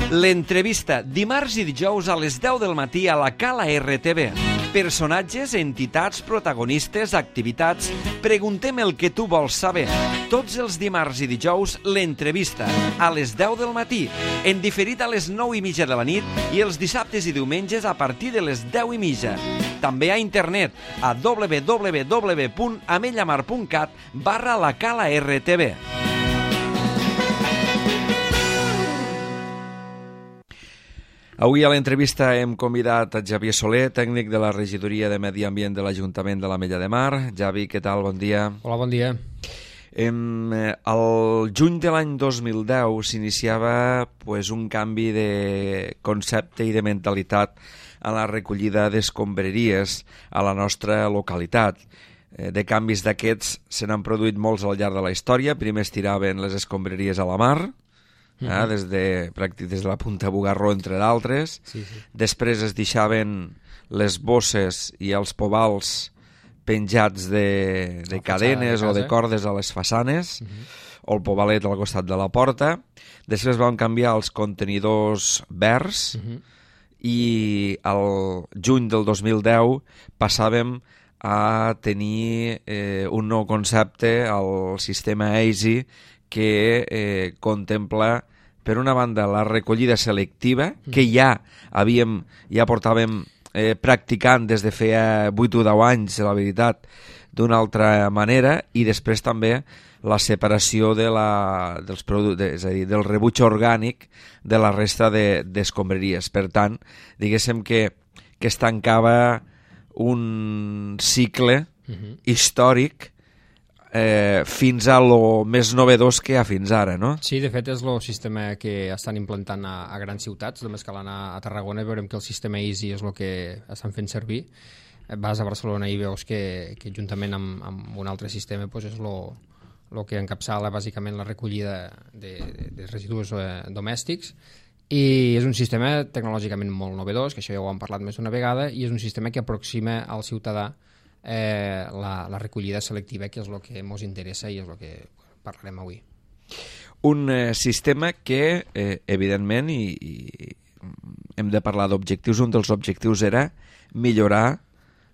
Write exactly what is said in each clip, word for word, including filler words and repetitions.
L'entrevista, dimarts i dijous a les deu del matí a la Cala R T V. Personatges, entitats, protagonistes, activitats... Preguntem el que tu vols saber. Tots els dimarts i dijous, l'entrevista, a les deu del matí, en diferit a les nou i mitja de la nit i els dissabtes i diumenges a partir de les deu i mitja. També a internet, a w w w punt amellamar punt cat barra la Cala R T V. Avui a l'entrevista hem convidat a Xavier Soler, tècnic de la Regidoria de Medi Ambient de l'Ajuntament de l'Ametlla de Mar. Xavi, què tal? Bon dia. Hola, bon dia. Em, el juny de l'any dos mil deu s'iniciava pues, un canvi de concepte i de mentalitat a la recollida d'escombraries a la nostra localitat. De canvis d'aquests se n'han produït molts al llarg de la història. Primer es tiraven les escombraries a la mar, Uh-huh. eh, des, de, pràctic, des de la Punta Bugarró, entre d'altres. Sí, sí. Després es deixaven les bosses i els pobals penjats de, de cadenes de o de cordes a les façanes, uh-huh. o el pobalet al costat de la porta. Després vam canviar els contenidors verds, uh-huh. i al juny del dos mil deu passàvem a tenir eh, un nou concepte, el sistema Easy, que eh, contempla, per una banda, la recollida selectiva, que ja havíem, ja portàvem eh, practicant des de feia vuit o deu anys, la veritat, d'una altra manera, i després també la separació de la, dels productes, és a dir, del rebuig orgànic de la resta d'escombraries. De, per tant, diguéssim que, que es tancava un cicle uh-huh. històric Eh, fins a lo més novedós que hi ha fins ara, no? Sí, de fet és el sistema que estan implantant a, a grans ciutats. Només cal anar a Tarragona i veurem que el sistema Easy és el que estan fent servir. Vas a Barcelona i veus que, que juntament amb, amb un altre sistema pues és el que encapçala bàsicament la recollida de, de, de residus eh, domèstics, i és un sistema tecnològicament molt novedós, que això ja ho hem parlat més d'una vegada, i és un sistema que aproxima al ciutadà Eh, la, la recollida selectiva, que és el que ens interessa i és el que parlarem avui. Un eh, sistema que, eh, evidentment, i, i hem de parlar d'objectius, un dels objectius era millorar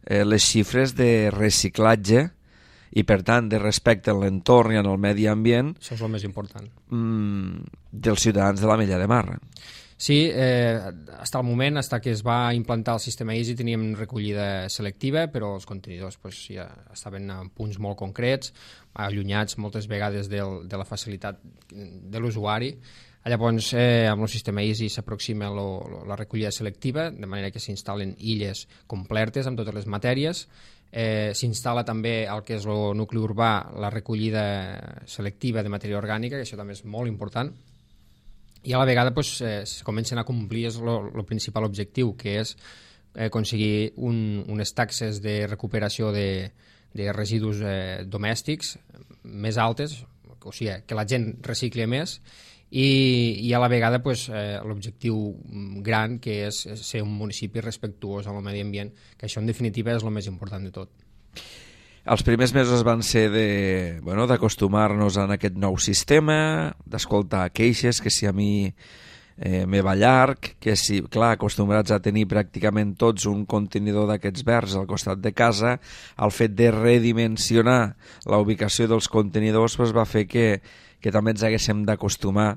eh, les xifres de reciclatge i, per tant, de respecte a l'entorn i en el medi ambient. Això és el més important. Mm, dels ciutadans de l'Ametlla de Mar. Sí, eh, fins al moment, fins que es va implantar el sistema Easy, teníem recollida selectiva, però els contenidors pues, ja estaven en punts molt concrets, allunyats moltes vegades del, de la facilitat de l'usuari. Llavors, eh, amb el sistema Easy s'aproxima la recollida selectiva, de manera que s'instal·len illes completes amb totes les matèries. Eh, s'instal·la també el que és el nucli urbà, la recollida selectiva de matèria orgànica, que això també és molt important. I a la vegada pues, eh, comencen a complir el principal objectiu, que és eh, aconseguir un, unes taxes de recuperació de, de residus eh, domèstics més altes, o sigui, que la gent recicli més, i, i a la vegada pues, eh, l'objectiu gran, que és ser un municipi respectuós amb el medi ambient, que això en definitiva és el més important de tot. Els primers mesos van ser de, bueno, d'acostumar-nos a aquest nou sistema, d'escoltar queixes, que si a mi eh, me va llarg, que si, clar, acostumbrats a tenir pràcticament tots un contenidor d'aquests verds al costat de casa, el fet de redimensionar la ubicació dels contenidors pues, va fer que, que també ens haguéssim d'acostumar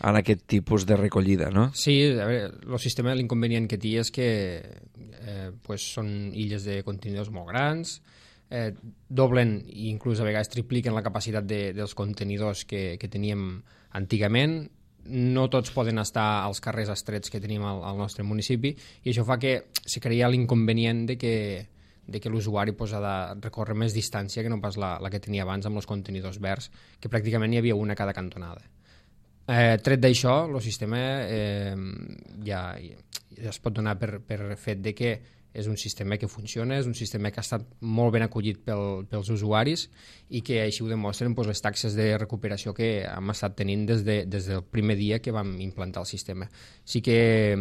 a aquest tipus de recollida, no? Sí, a veure, el sistema, l'inconvenient que té és que eh, pues, són illes de contenidors molt grans, Eh, doblen i inclús a vegades tripliquen la capacitat de, dels contenidors que, que teníem antigament. No tots poden estar als carrers estrets que tenim al, al nostre municipi, i això fa que se crea l'inconvenient de que, de que l'usuari pues, ha de recórrer més distància que no pas la, la que tenia abans amb els contenidors verds, que pràcticament hi havia una a cada cantonada. Eh, tret d'això, el sistema eh, ja, ja es pot donar per, per fet de que és un sistema que funciona, és un sistema que ha estat molt ben acollit pel, pels usuaris i que així ho demostren doncs, les taxes de recuperació que hem estat tenint des, de, des del primer dia que vam implantar el sistema. Sí que,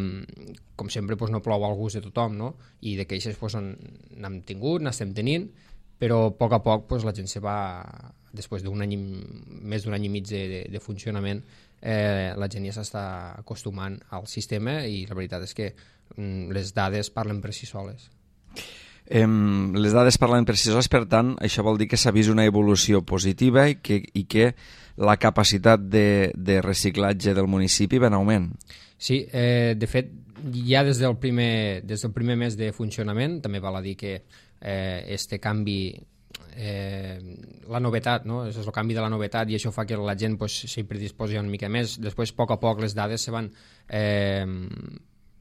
com sempre, doncs, no plou al gust de tothom, no? I de queixes doncs, n'hem tingut, n'estem tenint, però a poc a poc doncs, la gent se va, després d'un any, més d'un any i mig de, de, de funcionament, eh, la gent ja s'està acostumant al sistema i la veritat és que mm, les dades parlen per si soles. Eh, les dades parlen per si soles, per tant, això vol dir que s'ha vist una evolució positiva i que, i que la capacitat de, de reciclatge del municipi va en augment. Sí, eh, de fet, ja des del, primer, des del primer mes de funcionament, també val a dir que eh, este canvi, eh, la novetat, no? És el canvi de la novetat i això fa que la gent pues, s'hi predisposi una mica més. Després, a poc a poc, les dades se van... Eh,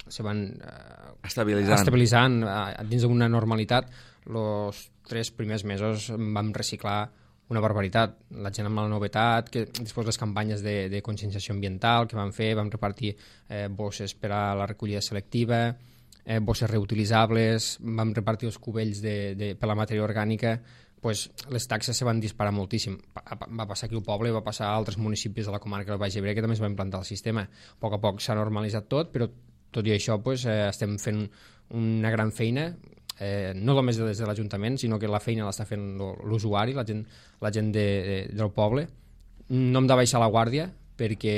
se van eh, estabilitzant, estabilitzant eh, dins d'una normalitat. Els tres primers mesos vam reciclar una barbaritat. La gent amb la novetat, que després les campanyes de, de conscienciació ambiental que vam fer, vam repartir eh, bosses per a la recollida selectiva, eh, bosses reutilitzables, vam repartir els cubells de, de, per la matèria orgànica, pues, les taxes se van disparar moltíssim. Va passar aquí al poble, va passar a altres municipis de la comarca del Baix Ebre que també es va implantar el sistema. A poc a poc s'ha normalitzat tot, però tot i això pues, eh, estem fent una gran feina, eh, no només des de l'Ajuntament, sinó que la feina l'està fent l'usuari, la gent, la gent de, de, del poble. No hem de baixar la guàrdia, perquè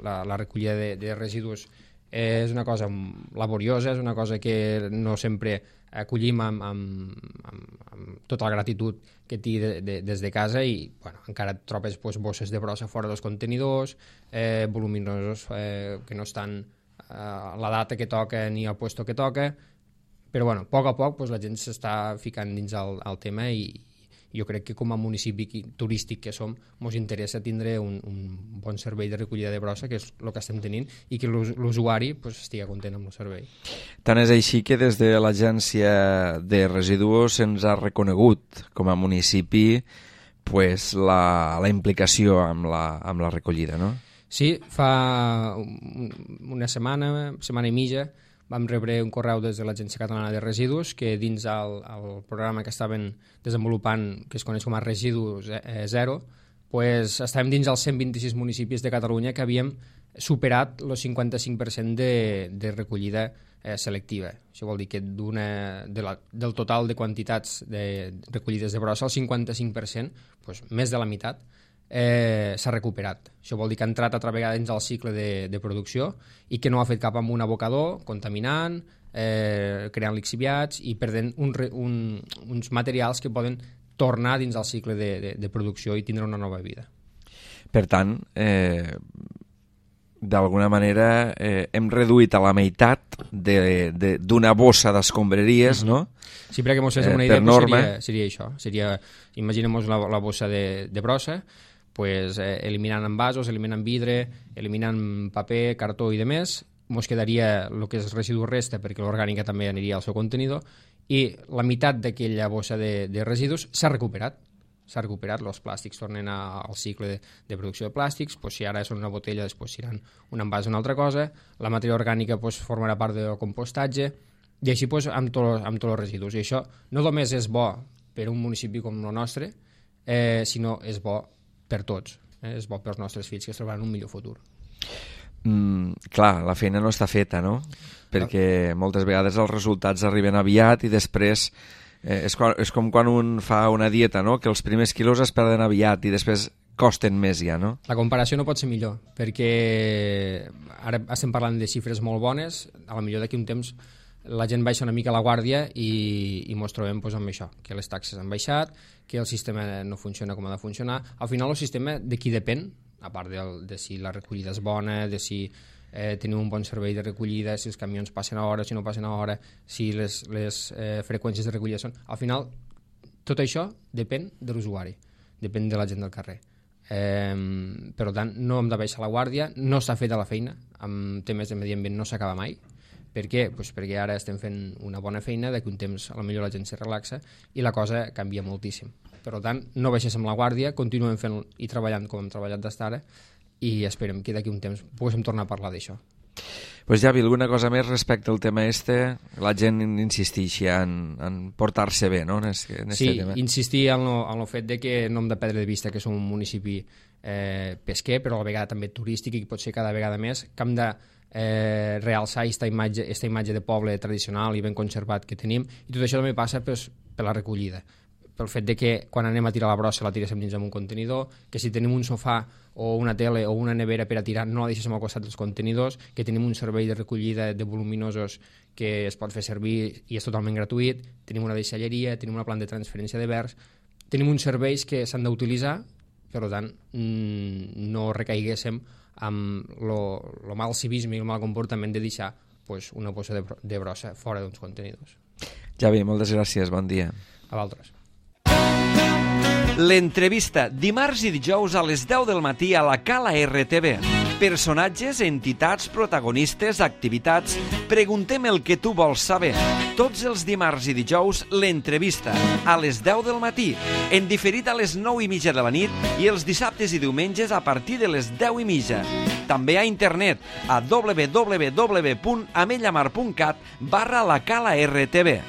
la, la recollida de, de residus és una cosa laboriosa, és una cosa que no sempre acollim amb, amb, amb, amb tota la gratitud que té de, de, des de casa i bueno, encara et trobes pues, bosses de brossa fora dels contenidors, eh, voluminosos eh, que no estan a la data que toca ni al puesto que toca, però bueno, a poc a poc pues, la gent s'està ficant dins el, el tema i jo crec que com a municipi turístic que som, ens interessa tindre un, un bon servei de recollida de brossa, que és el que estem tenint, i que l'usuari pues, estigui content amb el servei. Tant és així que des de l'Agència de Residus se'ns ha reconegut com a municipi pues, la, la implicació amb la, amb la recollida, no? Sí, fa una setmana, setmana i mitja, vam rebre un correu des de l'Agència Catalana de Residus que dins el, el programa que estaven desenvolupant, que es coneix com a Residus Zero, pues, estàvem dins els cent vint-i-sis municipis de Catalunya que havíem superat el cinquanta-cinc per cent de, de recollida eh, selectiva. Això vol dir que de la, del total de quantitats de recollides de brossa, el cinquanta-cinc per cent, pues, més de la meitat, Eh, s'ha recuperat. Això vol dir que ha entrat altra vegada dins el cicle de, de producció i que no ha fet cap amb un abocador contaminant, eh, creant lixiviats i perdent un, un, uns materials que poden tornar dins el cicle de, de, de producció i tindre una nova vida. Per tant, eh, d'alguna manera eh, hem reduït a la meitat d'una bossa d'escombraries, mm-hmm. no? Sí, perquè mos fes una eh, idea, pues norma... seria, seria això. Seria, imaginem-nos la, la bossa de, de brossa, pues, eh, eliminant envasos, eliminant vidre, eliminant paper, cartó i demés, mos quedaria el que és residu resta, perquè l'orgànica també aniria al seu contenidor, i la meitat d'aquella bossa de, de residus s'ha recuperat. S'ha recuperat, els plàstics tornen a, al cicle de, de producció de plàstics, pues, si ara són una botella, després seran un envàs o una altra cosa, la matèria orgànica pues, formarà part del compostatge, i així pues, amb, tot, amb tots els residus. I això no només és bo per un municipi com el nostre, eh, sinó és bo per tots. Eh? És bo pels nostres fills, que es trobaran un millor futur. Mm, clar, la feina no està feta, no? Perquè moltes vegades els resultats arriben aviat i després eh, és, quan, és com quan un fa una dieta, no? Que els primers quilos es perden aviat i després costen més ja, no? La comparació no pot ser millor, perquè ara estem parlant de xifres molt bones, a la millor d'aquí un temps la gent baixa una mica la guàrdia i, i mos trobem pues, amb això, que les taxes han baixat, que el sistema no funciona com ha de funcionar. Al final el sistema de qui depèn, a part de, de si la recollida és bona, de si eh, tenim un bon servei de recollida, si els camions passen a hora, si no passen a hora, si les, les eh, freqüències de recollida són... Al final, tot això depèn de l'usuari, depèn de la gent del carrer. Eh, per tant, no hem de baixar la guàrdia, no s'ha fet la feina, amb temes de medi ambient no s'acaba mai. Per què? Pues perquè ara estem fent una bona feina, d'aquí un temps a la millor la gent se relaxa i la cosa canvia moltíssim. Per tant, no baixéssim la guàrdia, continuem fent i treballant com hem treballat d'estar ara i esperem que d'aquí un temps poguéssim tornar a parlar d'això. Pues Javi, alguna cosa més respecte al tema este? La gent insisteix en, en portar-se bé, no? En este, en este sí, tema. insistir en el fet de que no hem de perdre de vista que som un municipi eh, pesquer, però a la vegada també turístic i pot ser cada vegada més, que hem de eh, realçar aquesta imatge, aquesta imatge de poble tradicional i ben conservat que tenim, i tot això també passa pues, per la recollida. pel fet de que quan anem a tirar la brossa la tiréssim dins d'un contenidor, que si tenim un sofà o una tele o una nevera per a tirar no la deixéssim al costat dels contenidors, que tenim un servei de recollida de voluminosos que es pot fer servir i és totalment gratuït, tenim una deixalleria, tenim una planta de transferència de verds, tenim uns serveis que s'han d'utilitzar, per tant no recaiguéssim amb el mal civisme i el mal comportament de deixar pues, una bossa de, de brossa fora d'uns contenidors. Javi, moltes gràcies, bon dia. A vosaltres. L'entrevista, dimarts i dijous a les deu del matí a la Cala R T V. Personatges, entitats, protagonistes, activitats... Preguntem el que tu vols saber. Tots els dimarts i dijous, l'entrevista, a les deu del matí, en diferit a les nou i mitja de la nit i els dissabtes i diumenges a partir de les deu i mitja. També a internet a w w w punt amellamar punt cat barra la Cala R T V.